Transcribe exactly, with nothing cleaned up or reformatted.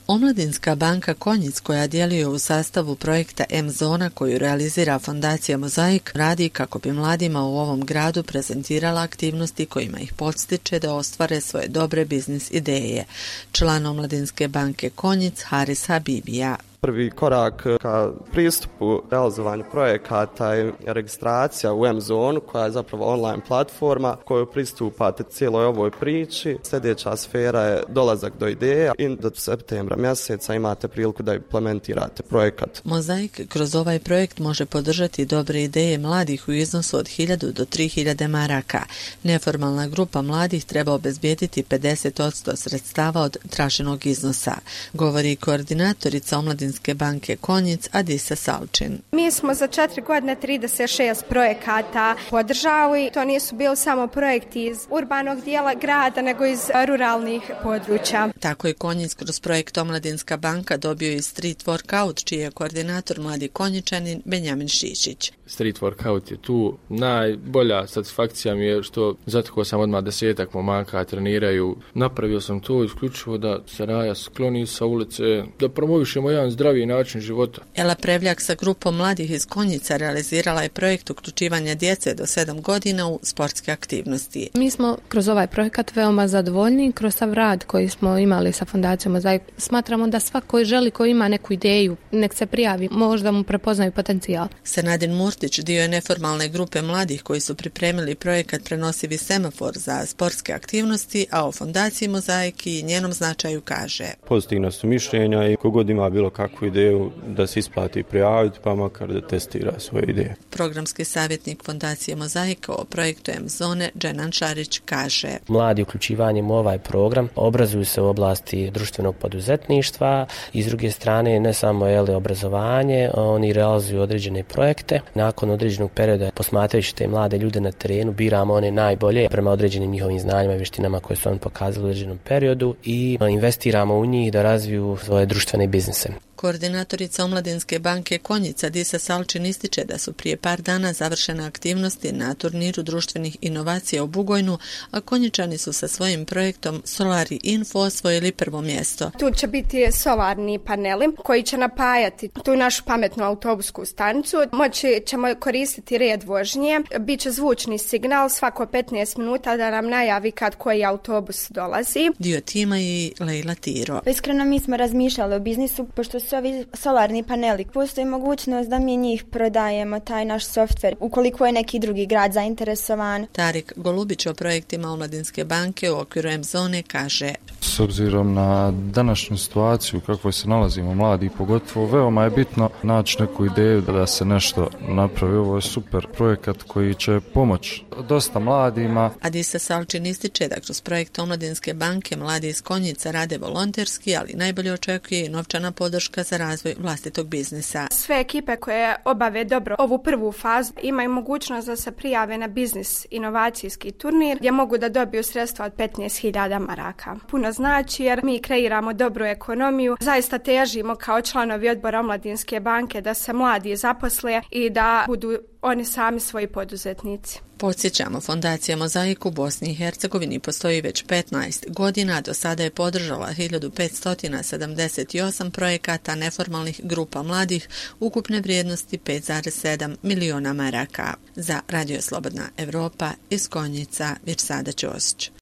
Omladinska banka Konjic, koja djeluje u sastavu projekta M-zona koju realizira Fondacija Mozaik, radi kako bi mladima u ovom gradu prezentirala aktivnosti kojima ih podstiče da ostvare svoje dobre biznis ideje. Član Omladinske banke Konjic Haris Habibija. Prvi korak ka pristupu realizovanju projekata je registracija u M-zonu, koja je zapravo online platforma koju pristupate cijeloj ovoj priči. Sljedeća sfera je dolazak do ideja i do septembra mjeseca imate priliku da implementirate projekat. Mozaik kroz ovaj projekt može podržati dobre ideje mladih u iznosu od hiljadu do tri hiljade maraka. Neformalna grupa mladih treba obezbijediti pedeset posto sredstava od traženog iznosa, govori koordinatorica Omladinske banke Konjic Adisa Salčin. Mi smo za četiri godine trideset šest projekata podržali. To nisu bili samo projekti iz urbanog dijela grada, nego iz ruralnih područja. Tako je Konjic kroz projekt Omladinska banka dobio i Street Workout, čiji je koordinator mladi Konjičanin Benjamin Šišić. Street Workout je tu. Najbolja satisfakcija mi je što zatekao sam odmah desetak momaka, treniraju. Napravio sam to isključivo da se raja skloni sa ulice, da promovišemo jedan zdravi način života. Ela Prevljak sa grupom mladih iz Konjica realizirala je projekt uključivanja djece do sedam godina u sportske aktivnosti. Mi smo kroz ovaj projekat veoma zadovoljni, kroz sav rad koji smo imali sa Fondacijom Mozaik. Smatramo da svako koji želi, koji ima neku ideju, nek se prijavi, možda mu prepoznaju potencijal. Senadin Murtić dio je neformalne grupe mladih koji su pripremili projekat Prenosivi semafor za sportske aktivnosti, a o Fondaciji Mozaik i njenom značaju kaže: Pozitivna su mišljenja i kogod ima bilo kakvu ideju da se isplati prijaviti, pa makar da testira svoje ideje. Programski savjetnik Fondacije Mozaik o projektu M-zone Dženan Šarić kaže: Mladi uključivanjem u ovaj program obrazuju se u oblasti društvenog poduzetništva i s druge strane ne samo jeli, obrazovanje, oni realizuju određene projekte. Nakon određenog perioda, posmatrajući te mlade ljude na terenu, biramo one najbolje prema određenim njihovim znanjima i vještinama koje su oni pokazali u određenom periodu i investiramo u njih da razviju svoje društvene biznise. Koordinatorica Omladinske banke Konjica Adisa Salčin ističe da su prije par dana završene aktivnosti na turniru društvenih inovacija u Bugojnu, a Konjičani su sa svojim projektom Solari Info osvojili prvo mjesto. Tu će biti solarni paneli koji će napajati tu našu pametnu autobusku stanicu. Moći ćemo koristiti red vožnje, bit će zvučni signal svako petnaest minuta da nam najavi kad koji autobus dolazi. Dio tima je Lejla Tiro. Iskreno mi smo razmišljali o biznisu, pošto su ovi solarni paneli. Postoji mogućnost da mi njih prodajemo, taj naš softver, ukoliko je neki drugi grad zainteresovan. Tarik Golubić o projektima Omladinske banke u okviru M-zone kaže: S obzirom na današnju situaciju u kakvoj se nalazimo mladi, pogotovo veoma je bitno naći neku ideju da se nešto napravi. Ovo je super projekat koji će pomoći dosta mladima. Adisa Salčin ističe da kroz projekt Omladinske banke mladi iz Konjica rade volonterski, ali najbolje očekuje i novčana podrška za razvoj vlastitog biznisa. Sve ekipe koje obave dobro ovu prvu fazu imaju mogućnost da se prijave na biznis inovacijski turnir gdje mogu da dobiju sredstva od petnaest hiljada maraka. Puno znači jer mi kreiramo dobru ekonomiju, zaista težimo kao članovi odbora Omladinske banke da se mladi zaposle i da budu oni sami svoji poduzetnici. Podsjećamo, Fondacija Mozaik u Bosni i Hercegovini postoji već petnaest godina, do sada je podržala hiljadu petsto sedamdeset osam projekata neformalnih grupa mladih ukupne vrijednosti pet zarez sedam miliona maraka. Za Radio Slobodna Evropa iz Konjica, Virsada Ćosić.